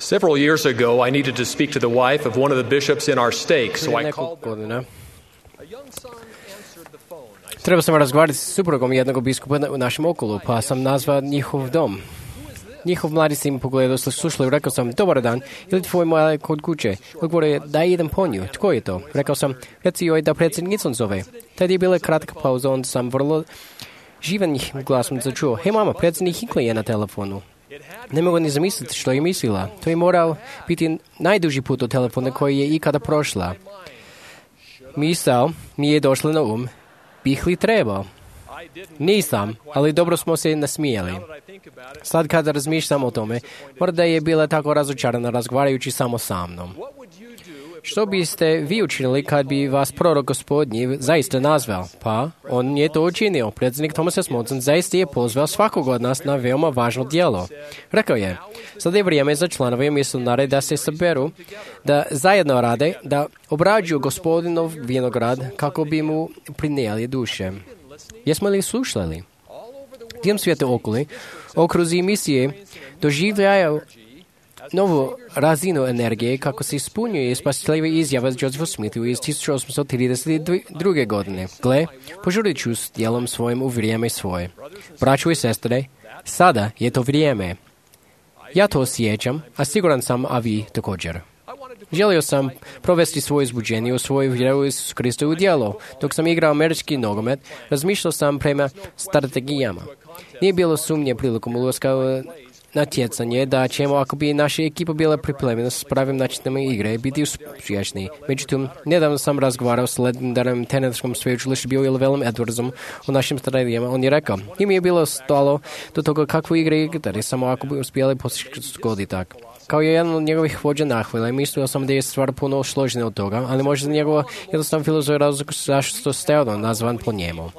Several years ago, I needed to speak to the wife of one of the bishops in our stake, so I called them. A young son answered the phone. Treba sam razgovarati s suprugom jednog biskupa u našem okolu, pa sam nazvao njihov dom. Njihov mladi sin pogledao, slušao i rekao sam, dobar dan, ili tvoj mali kod kuće? Odgovorio je, da idem po nju. Tko je to? Rekao sam, reci joj da predsjednicom zove. Tad je bila kratka pauza, onda sam vrlo živan glasom začuo, hej mama, predsjednik Hinckley je na telefonu. Ne mogu ni zamisliti što je mislila. To je morao biti najduži put od telefona koji je ikada prošla. Misao mi je došla na bih li trebao? Nisam, ali dobro smo se nasmijali. Sad kada razmišljam o tome, možda je bila tako razočarana razgovarajući samo sa mnom. Što biste vi učinili kad bi vas prorok Gospodnji zaista nazvao? Pa, on je to učinio. Predsjednik Thomas S. Monson zaista je pozvao svakog od nas na veoma važno djelo. Rekao je, sada je vrijeme za članove misionare da se saberu, da zajedno rade, da obrađuju Gospodinov vinograd kako bi mu prinijeli duše. Jesmo li slušali? Diljem svijeta okruzi misije doživljaju novu razinu energije kako se ispunjuje spasiteljiva izjava Josepha Smithu iz 1832. godine. Gle, požurit ću s djelom svojim u vrijeme svoje. Braćo i sestre, sada je to vrijeme. Ja to osjećam, a siguran sam, a vi također. Želio sam provesti svoje izbuđenje u svoju vjeru Isusu Kristu u djelo. Dok sam igrao američki nogomet, razmišljao sam prema strategijama. Nije bilo sumnje prilikom ulaska u natjecanje da ćemo, ako bi naša ekipa bila pripremljena s pravim načinom igre, biti uspješni. Međutim, nedavno sam razgovarao s legendarnim teniskom sveučilišta Bill Edwardsom o našim strategijama. On je rekao, im je bilo stalo do toga kakvu igre igrati, samo ako bi uspjeli postići tak. Kao je jedan od njegovih vođa nahvile, mislio sam da je stvar puno složenija od toga, ali možda njegova jednostavna filozofija razlog zašto ste nazvan po njemu.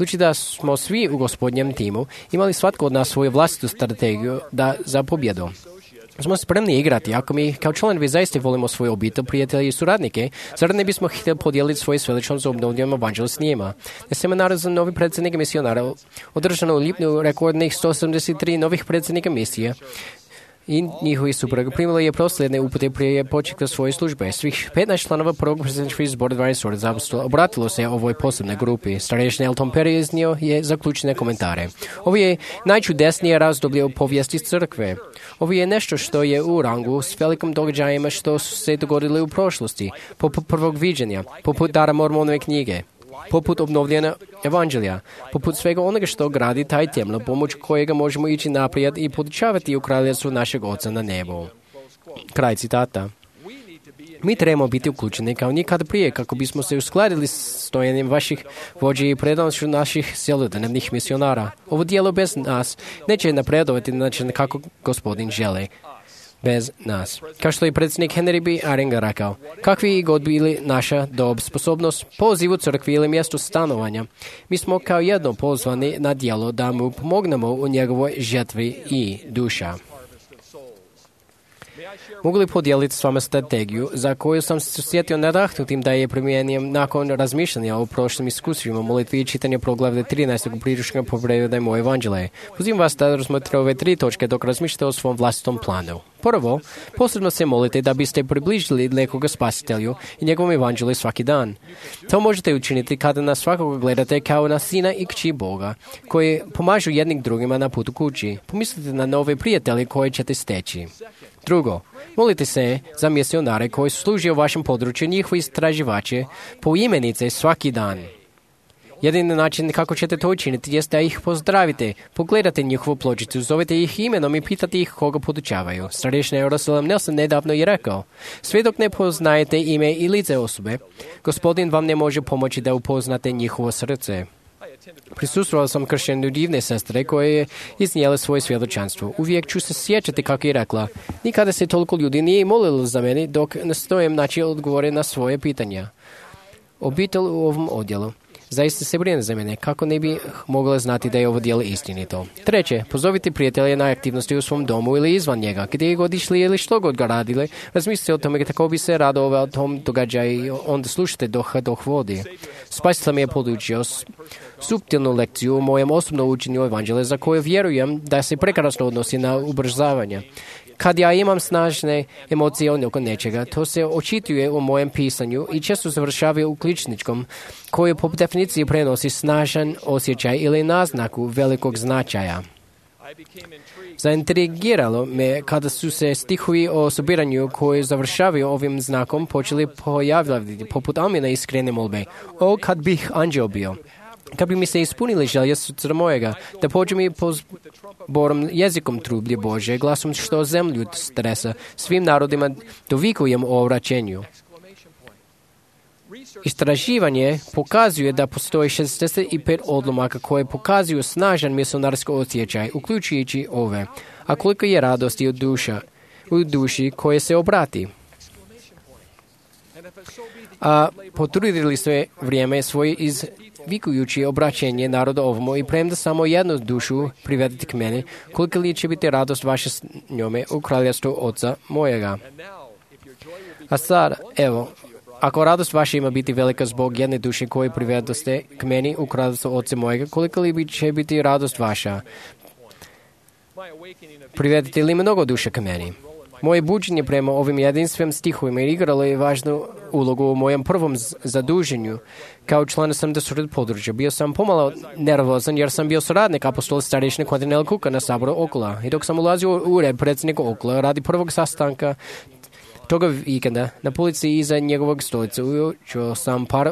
Budući da smo svi u Gospodnjem timu imali svatko od nas svoju vlastitu strategiju za pobjedu. Smo spremni igrati, ako mi kao članovi zaista volimo svoju obitelj, prijatelje i suradnike, zar ne bismo htjeli podijeliti svoje svelično za obnovljenom evanđelju s njima? Na seminaru za novi predsjednike misionara održano u lipnju rekordnih 173 novih predsjednika misije i njihovi supruga primili je proslijedne upute prije početka svoje službe. Svih 15 članova prvog predsjedničkog zbora 12 apostolova obratilo se ovoj posebnoj grupi. Starešni Elton Perry iznio je zaključene komentare. Ovo je najčudesnije razdoblje u povijesti crkve. Ovo je nešto što je u rangu s velikim događajima što su se dogodili u prošlosti, poput prvog viđenja, poput dara Mormonove knjige, poput obnovljena evanđelja, poput svega onoga što gradi taj temelj, pomoć kojega možemo ići naprijed i podučavati u kraljevstvu našeg Oca na nebu. Kraj citata. Mi trebamo biti uključeni kao nikad prije kako bismo se uskladili s stojanjem vaših vođa i predanošću naših cjelodnevnih misionara. Ovo dijelo bez nas neće napredovati na način kako Gospodin želi. Bez nas. Kao što je predsjednik Henry B. Eyring rekao, kakvi god bili naša dob, sposobnost, poziv u crkvi ili mjesto stanovanja, mi smo kao jedno pozvani na djelo da mu pomognemo u njegovoj žetvi i duša. Mogu li podijeliti s vama strategiju za koju sam se osjetio nadahnutim da je primjenjujem nakon razmišljanja o prošlim iskustvima molitvi i čitanja proglavlja 13. priručnika Povrede moje evanđelje. Pozivam vas da razmotrite ove 3 točke dok razmišljate o svom vlastitom planu. Prvo, posebno se molite da biste približili nekoga spasitelju i njegovom evanđelju svaki dan. To možete učiniti kada na svakoga gledate kao na sina i kći Boga, koji pomažu jednim drugima na putu kući. Pomislite na nove prijatelje koje ćete steći. Drugo, molite se za misionare koji služe u vašem području, njihovi istraživače, po imenice svaki dan. Jedini način kako ćete to učiniti jest da ih pozdravite, pogledate njihovu pločicu, zovete ih imenom i pitate ih koga podučavaju. Starešni Russell Nelson nedavno je rekao, sve dok ne poznajete ime i lice osobe, Gospodin vam ne može pomoći da upoznate njihovo srce. Prisustvovao sam kršćenju divne sestre koje je iznijela svoje svjedočanstvo. Uvijek ću se sjećati kako je rekla, nikada se toliko ljudi nije molilo za mene dok nastojim naći odgovore na svoje pitanja. Obitelj u ovom odjelu zaista se brine za mene, kako ne bi mogla znati da je ovo djelo istinito. Treće, pozovite prijatelje na aktivnosti u svom domu ili izvan njega, gdje god išli ili što god ga radili, razmislite o tome kako bi se radovao tom događaju i onda slušajte dok vodi. Spasitelj mi je podučio suptilnu lekciju u mojem osobnom učenju evanđelja za koju vjerujem da se prekrasno odnosi na ubrzavanje. Kad ja imam snažne emocije oko nečega, to se očituje u mojem pisanju i često završava u kličničkom, koji po definiciji prenosi snažan osjećaj ili naznaku velikog značaja. Zaintrigiralo me kada su se stihovi o sobiranju koji završavaju ovim znakom počeli pojavljati poput Amina iskrene molbe. O, kad bih anđeo bio! Kad bi mi se ispunili želje srca mojega, da pođem i pozborom jezikom trublje Bože, glasom što zemlju stresa, svim narodima dovikujem o vraćenju. Istraživanje pokazuje da postoji 65 odlomaka koje pokazuju snažan misionarski osjećaj, uključujući ove. A koliko je radosti u duši koje se obrati. A potrudili sve vrijeme svoje izvikujući obraćenje naroda ovomu i premda samo jednu dušu privedete k meni, koliko li će biti radost vaše s njome u kraljevstvu Oca mojega. A sad, evo, ako radost vaša ima biti velika zbog jedne duše koje privedoste k meni u kraljevstvu Oca mojega, koliko li će biti radost vaša? Privedete li mnogo duša k meni? Moje buđenje prema ovim jedinstvenim stihovima igralo je važnu ulogu u mojem prvom zaduženju. Kao član sam područja. Bio sam pomalo nervozan jer sam bio suradnik apostola starješine Quentin L. Cooka na saboru Okula. I dok sam ulazio u ured predsjednika Okula radi prvog sastanka toga vikenda na policiji iza njegovog stolice učio sam par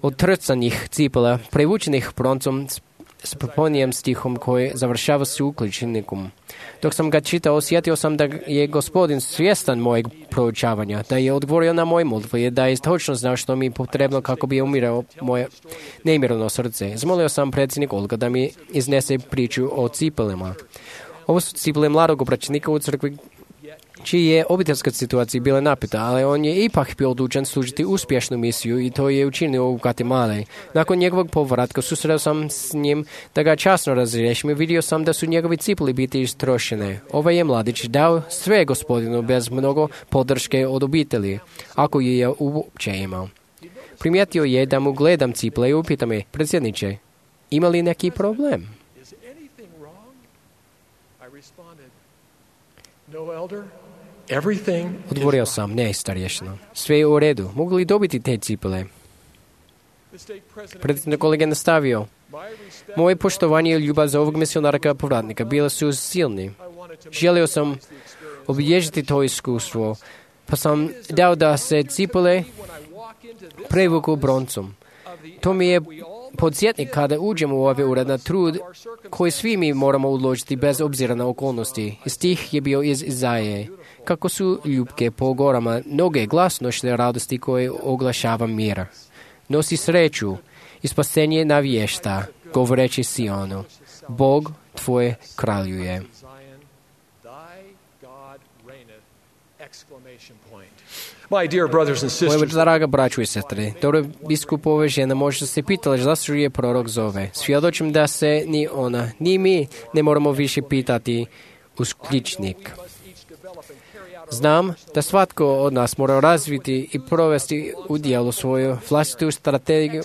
otrcanih cipela prevučenih broncom s proponijem stihom koji završava s uključenikom. Dok sam ga čitao, osjetio sam da je Gospodin svjestan mojeg proučavanja, da je odgovorio na moje molitve i da je točno znao što mi je potrebno kako bi umirao moje neimirno srce. Zamolio sam predsjednik Olga da mi iznese priču o cipelima. Ovo su cipele mladog obraćenika u crkvi čiji je obiteljska situacija bila napeta, ali on je ipak bio odlučen služiti uspješnu misiju i to je učinio u Guatemala. Nakon njegovog povratka susreo sam s njim da ga časno razriješim i vidio sam da su njegovi cipeli biti istrošene. Ovaj je mladić dao sve Gospodinu bez mnogo podrške od obitelji, ako je uopće imao. Primijetio je da mu gledam cipele i upita me, predsjedniče, ima li neki problem? Odgovorio sam, ne, starješino. Sve je u redu. Mogu li dobiti te cipele? Predsjednik kolega nastavio. Moje poštovanje i ljubav za ovog misionarka povratnika bile su silni. Želio sam obilježiti to iskustvo, pa sam dao da se cipele prevuku broncom. To mi je podsjetnik kada uđemo u ovaj ured na trud koji svi mi moramo uložiti bez obzira na okolnosti. Stih je bio iz Izaije. Kako su ljubke po gorama noge glasnošne radosti koje oglašava mira. Nosi sreću i spasenje navješta, govoreći Sionu. Bog tvoj kraljuje. Moje draga braćo i sestre, dobro biskupove žena možda se pitali zašto je prorok zove. Svjedočim da se ni ona, ni mi ne moramo više pitati uskličnik. Znam da svatko od nas mora razviti i provesti u djelu svoju vlastitu strategiju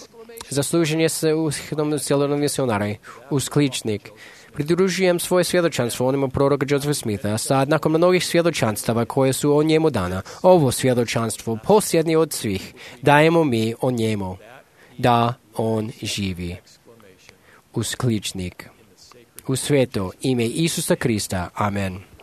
za služenje se u cijelom misionari, uskličnik. Pridružujem svoje svjedočanstvo onima proroka Josepha Smitha, a sad nakon mnogih svjedočanstava koje su o njemu dana, ovo svjedočanstvo posljednje od svih, dajemo mi o njemu, da on živi. Uskličnik. U sveto ime Isusa Krista. Amen.